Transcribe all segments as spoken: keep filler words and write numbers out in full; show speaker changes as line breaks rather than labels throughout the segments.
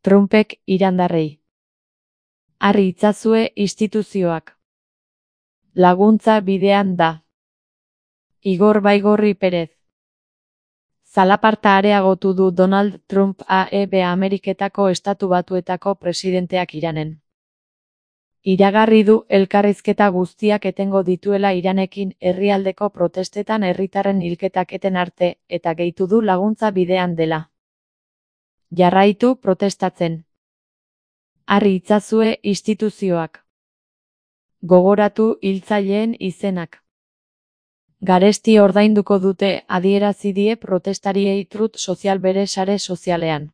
Trumpek irandarrei. Harri itzazue instituzioak. Laguntza bidean da. Igor Baigorri Perez. Zalaparta areagotu du Donald Trump A E B Ameriketako Estatu Batuetako presidenteak Iranen. Iragarri du elkarrizketa guztiak etengo dituela Iranekin herrialdeko protestetan herritarren hilketak eten arte, eta gehitu du laguntza bidean dela. Jarraitu protestatzen. Harri itzazue instituzioak. Gogoratu hiltzaileen izenak. Garesti ordainduko dute, adierazi die protestariei Truth Social bere sare sozialean.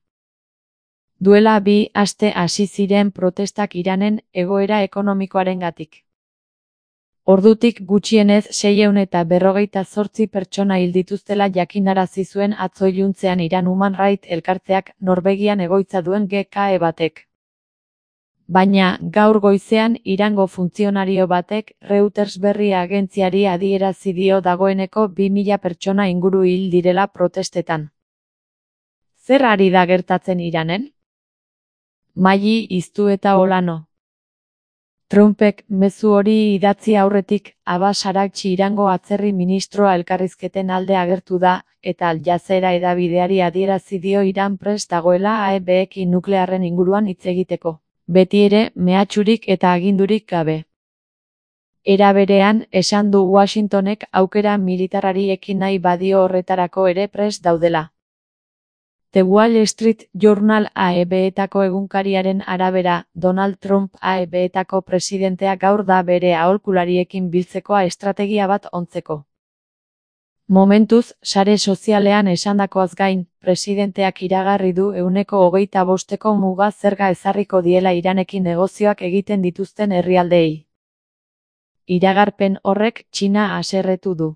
Duela bi aste hasi ziren protestak Iranen egoera ekonomikoarengatik. Ordutik gutxienez seiehun eta berrogeita zortzi pertsona hil dituztela jakinarazi zuen atzo iluntzean Iran Human Rights elkarteak Norvegian egoitza duen G K E batek. Baina, gaur goizean Irango funtzionario batek Reuters berri agentziari adierazi dio dagoeneko bi mila pertsona inguru hil direla protestetan. Zer ari da gertatzen Iranen? Maili iztu eta olano. Trumpek mezu hori idatzi aurretik Abbas Araghchi Irango atzerri ministroa elkarrizketen alde agertu da, eta Al Jazeera hedabideari adierazi dio Iran prest dagoela A E B-ekin nuklearren inguruan hitz egiteko. Beti ere, mehatxurik eta agindurik gabe. Era berean, esan du Washingtonek aukera militarrari ekin nahi badio horretarako ere prest daudela. The Wall Street Journal A E B-etako egunkariaren arabera, Donald Trump A E B-etako presidentea gaur da bere aholkulariekin biltzekoa estrategia bat ontzeko. Momentuz, sare sozialean esandakoaz gain, presidenteak iragarri du ehuneko hogeita bosteko muga zerga ezarriko diela Iranekin negozioak egiten dituzten herrialdeei. Iragarpen horrek Txina haserretu du.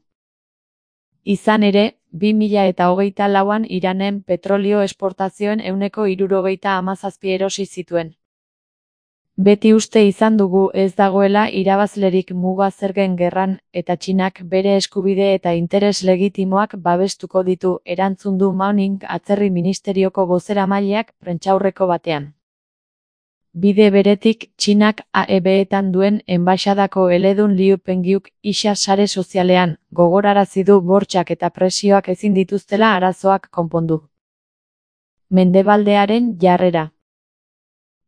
Izan ere, bi mila eta hogeita lauan Iranen petrolio esportazioen ehuneko hirurogeita hamazazpi erosi zituen. Beti uste izan dugu ez dagoela irabazlerik muga zergen gerran, eta Txinak bere eskubide eta interes legitimoak babestuko ditu, erantzun du Mao Ning atzerri ministerioko bozeramaileak prentsaurreko batean. Bide beretik, Txinak A E B-etan duen enbaxadako eledun Liu Penghiuk isa sare sozialean, gogorarazi du bortxak eta presioak ezin dituztela arazoak konpondu. Mendebaldearen jarrera.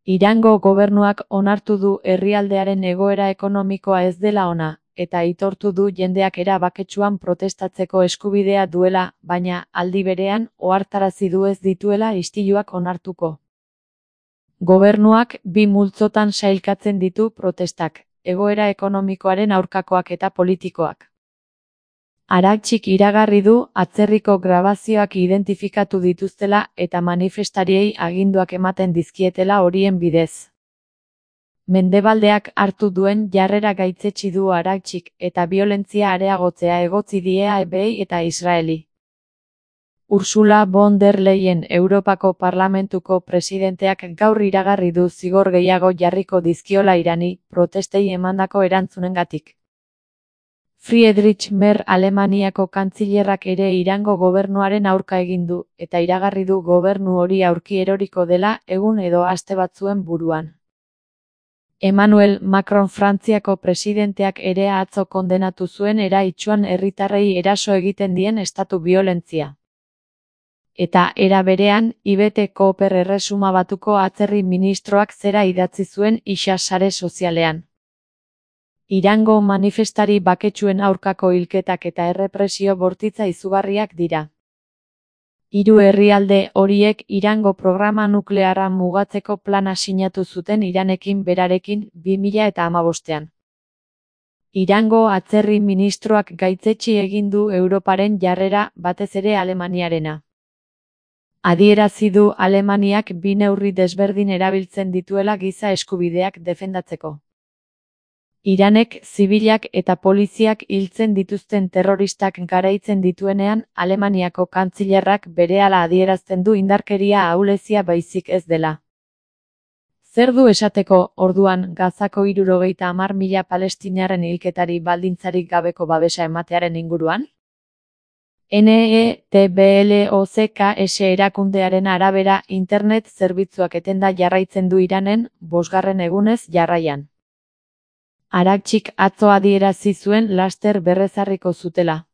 Irango gobernuak onartu du herrialdearen egoera ekonomikoa ez dela ona, eta aitortu du jendeak era baketsuan protestatzeko eskubidea duela, baina, aldi berean, ohartarazi du ez dituela istiluak onartuko. Gobernuak bi multzotan sailkatzen ditu protestak, egoera ekonomikoaren aurkakoak eta politikoak. Araghchik iragarri du atzerriko grabazioak identifikatu dituztela eta manifestariei aginduak ematen dizkietela horien bidez. Mendebaldeak hartu duen jarrera gaitzetsi du Araghchik eta biolentzia areagotzea egotzi die A E B-ei eta Israeli. Ursula von der Leyen Europako Parlamentuko presidenteak gaur iragarri du zigor gehiago jarriko dizkiola Irani protestei emandako erantzunengatik. Friedrich Merz Alemaniako kantzilerrak ere Irango gobernuaren aurka egin du, eta iragarri du gobernu hori aurki eroriko dela egun edo aste batzuen buruan. Emmanuel Macron Frantziako presidenteak ere atzo kondenatu zuen eraitsuan herritarrei eraso egiten dien estatu biolentzia. Eta era berean, Yvette Cooper Erresuma Batuko atzerri ministroak zera idatzi zuen isa sare sozialean. Irango manifestari baketsuen aurkako hilketak eta errepresio bortitza izugarriak dira. Hiru herrialde horiek Irango programa nuklearra mugatzeko plana sinatu zuten Iranekin berarekin bi mila eta hamabostean. Irango atzerri ministroak gaitzetsi egin du Europaren jarrera, batez ere Alemaniarena. Adierazi du Alemaniak bi neurri desberdin erabiltzen dituela giza eskubideak defendatzeko. Iranek zibilak eta poliziak hiltzen dituzten terroristak garaitzen dituenean, Alemaniako kantzilerrak berehala adierazten du indarkeria ahulezia baizik ez dela. Zer du esateko, orduan, Gazako hirurogeita hamar mila palestinarren hilketari baldintzarik gabeko babesa ematearen inguruan? N E T B L O C K S erakundearen arabera, internet zerbitzuak etenda jarraitzen du Iranen, bosgarren egunez jarraian. Arakchik atzo adierazi zuen laster berrezarriko zutela.